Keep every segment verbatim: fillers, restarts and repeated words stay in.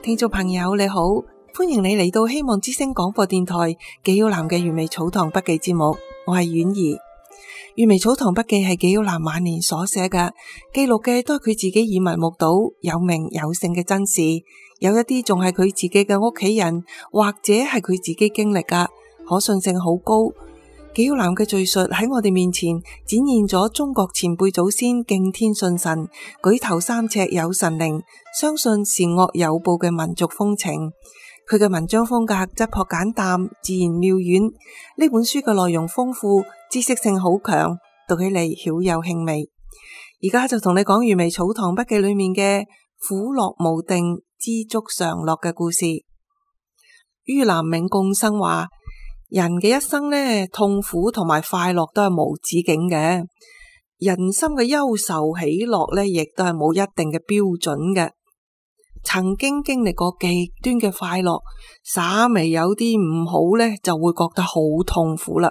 聽眾朋友你好，歡迎你嚟到希望之聲廣播電台紀曉嵐嘅完美草堂筆記節目，我係婉兒。完美草堂筆記係紀曉嵐晚年所寫嘅，記錄嘅都係佢自己耳聞目睹有名有姓嘅真事，有一啲仲係佢自己嘅屋企人或者係佢自己經歷㗎，可信性好高。紀曉嵐嘅敘述喺我哋面前展現咗中國前輩祖先敬天信神、舉頭三尺有神靈、相信善惡有報嘅民族風情。佢嘅文章風格質樸簡淡、自然妙遠。呢本書嘅內容豐富，知識性好強，讀起嚟曉有興味。而家就同你講《完美草堂筆記》裏面嘅苦樂無定、知足常樂嘅故事。于南銘共生話：人嘅一生呢，痛苦同埋快樂都係無止境嘅。人心嘅憂愁喜樂呢，亦都係冇一定嘅標準嘅。曾經經歷過極端嘅快樂，稍微有啲唔好呢，就會覺得好痛苦啦。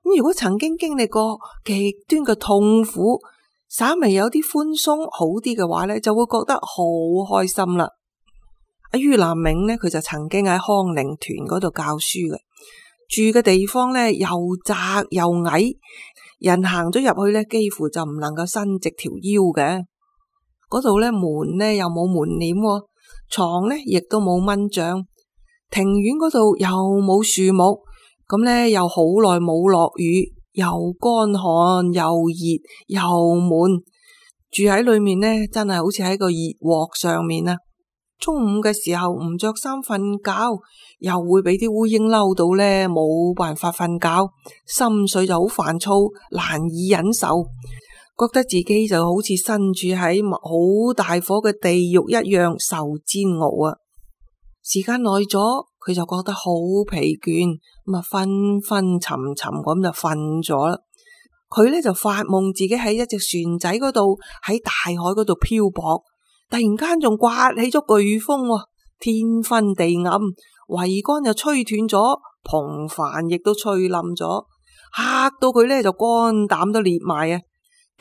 咁如果曾經經歷過極端嘅痛苦，稍微有啲寬鬆好啲嘅話呢，就會覺得好開心啦。阿于南銘呢，佢就曾經喺康寧團嗰度教書嘅，住嘅地方呢又窄又矮，人行咗入去呢，幾乎就唔能夠伸直條腰嘅。嗰度呢門呢又冇門簾，床呢亦都冇蚊帳，庭院嗰度又冇樹木，咁呢又好耐冇落雨，又乾旱又熱又悶，住喺裏面呢真係好似喺個熱鑊上面啊！中午嘅時候唔着衫瞓覺，又會俾啲烏蠅嬲到呢，冇辦法瞓覺，心緒就好煩躁，難以忍受。覺得自己就好似身處喺好大火嘅地獄一樣受煎熬啊！時間耐咗，佢就覺得好疲倦，咁啊昏昏沉沉咁就瞓咗啦。佢呢就發夢自己喺一隻船仔嗰度，喺大海嗰度漂泊，突然間仲颳起咗颶風，天昏地暗，桅杆又吹斷咗，篷帆亦都吹冧咗，嚇到佢呢就肝膽都裂埋啊！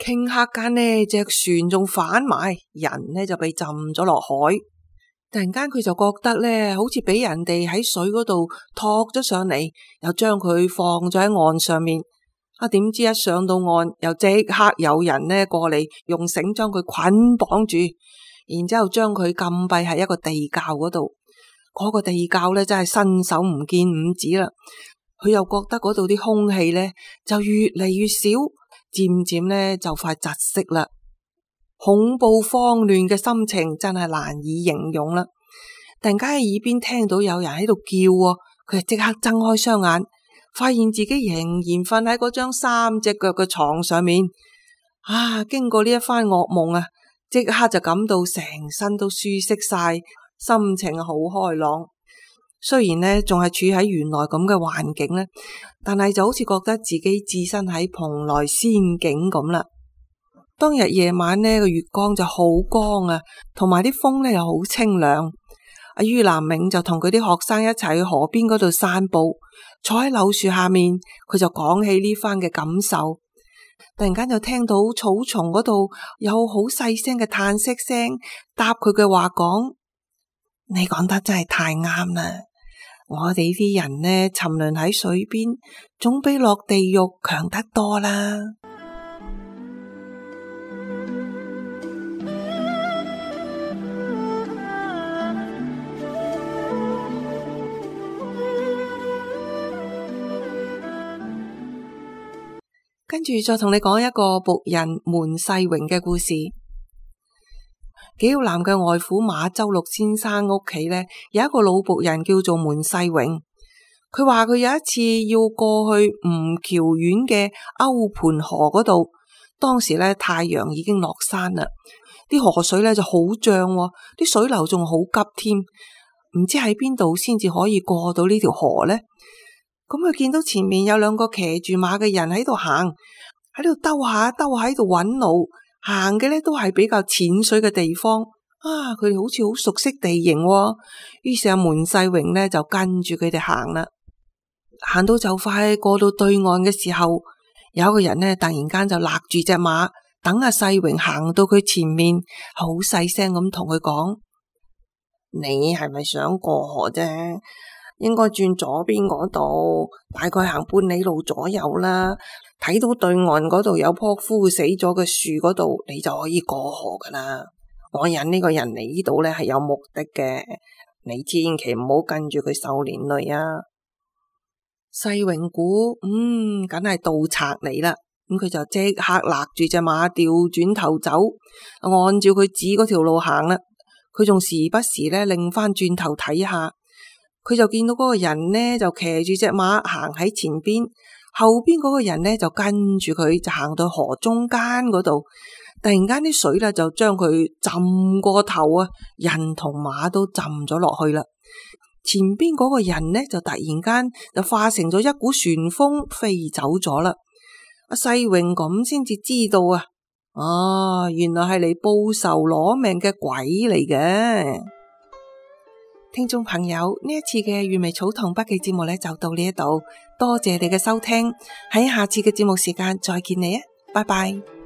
頃刻間呢隻船仲反埋，人呢就被浸咗落海。突然間佢就覺得呢好似俾人哋喺水嗰度托咗上嚟，又將佢放咗喺岸上面。啊，點知一上到岸，又即刻有人呢過嚟，用繩將佢捆綁住，然之後將佢禁閉喺一個地窖嗰度。嗰個地窖呢真係伸手唔見五指啦。佢又覺得嗰度啲空氣呢就越嚟越少，漸漸呢就快窒息啦。恐怖慌亂嘅心情真係難以形容啦。突然間喺耳邊聽到有人喺度叫，佢就即刻睜開雙眼，發現自己仍然瞓喺嗰張三隻腳嘅床上面。啊，經過呢一番噩夢啊，即刻就感到成身都舒適晒，心情好開朗。雖然呢仲係處喺原來咁嘅環境呢，但係就好似覺得自己置身喺蓬萊仙境咁啦。當日夜晚呢個月光就好光啊，同埋啲風呢又好清涼。阿于南銘就同佢啲學生一齊去河邊嗰度散步，坐喺柳樹下面，佢就講起呢番嘅感受。突然間就聽到草叢嗰度有好細聲嘅嘆息聲，答佢嘅話講：你講得真係太啱啦！我哋啲人呢沉淪喺水邊，總比落地獄強得多啦。跟住再同你講一個僕人門世榮嘅故事。紀曉嵐嘅外父馬周六先生屋企呢，有一個老僕人叫做門世榮。佢話佢有一次要過去吳橋縣嘅歐盤河嗰度，當時呢太陽已經落山啦，啲河水呢就好漲，啲水流仲好急添，唔知喺邊度先至可以過到呢條河呢？咁佢見到前面有兩個騎住馬嘅人喺度行，喺度兜下兜下喺度揾路，行嘅呢都係比較淺水嘅地方。啊，佢哋好似好熟悉地形喎。於是阿門世榮呢就跟住佢哋行啦。行到就快過到對岸嘅時候，有一個人呢突然間就勒住隻馬，等阿世榮行到佢前面，好細聲咁同佢講：你係咪想過河啫？應該轉左邊嗰度，大概行半里路左右啦。睇到對岸嗰度有棵枯死咗嘅樹嗰度，你就可以過河噶啦。我引呢個人嚟呢度咧係有目的嘅，你千祈唔好跟住佢受連累啊！世榮估，嗯，梗係盜賊嚟啦。咁佢就即刻勒住隻馬調轉頭走，按照佢指嗰條路行啦。佢仲時不時咧擰翻轉頭睇下。佢就見到嗰個人呢，就騎住隻馬行喺前邊，後邊嗰個人呢，就跟住佢，就行到河中間嗰度。突然間啲水咧就將佢浸過頭啊，人同馬都浸咗落去啦。前邊嗰個人呢，就突然間就化成咗一股旋風飛走咗啦。阿世榮咁先至知道啊，啊，原來係嚟報仇攞命嘅鬼嚟嘅。聽眾朋友，呢一次嘅閱微草堂筆記節目呢，就到呢一度，多謝你嘅收聽，喺下次嘅節目時間再見你啊，拜拜。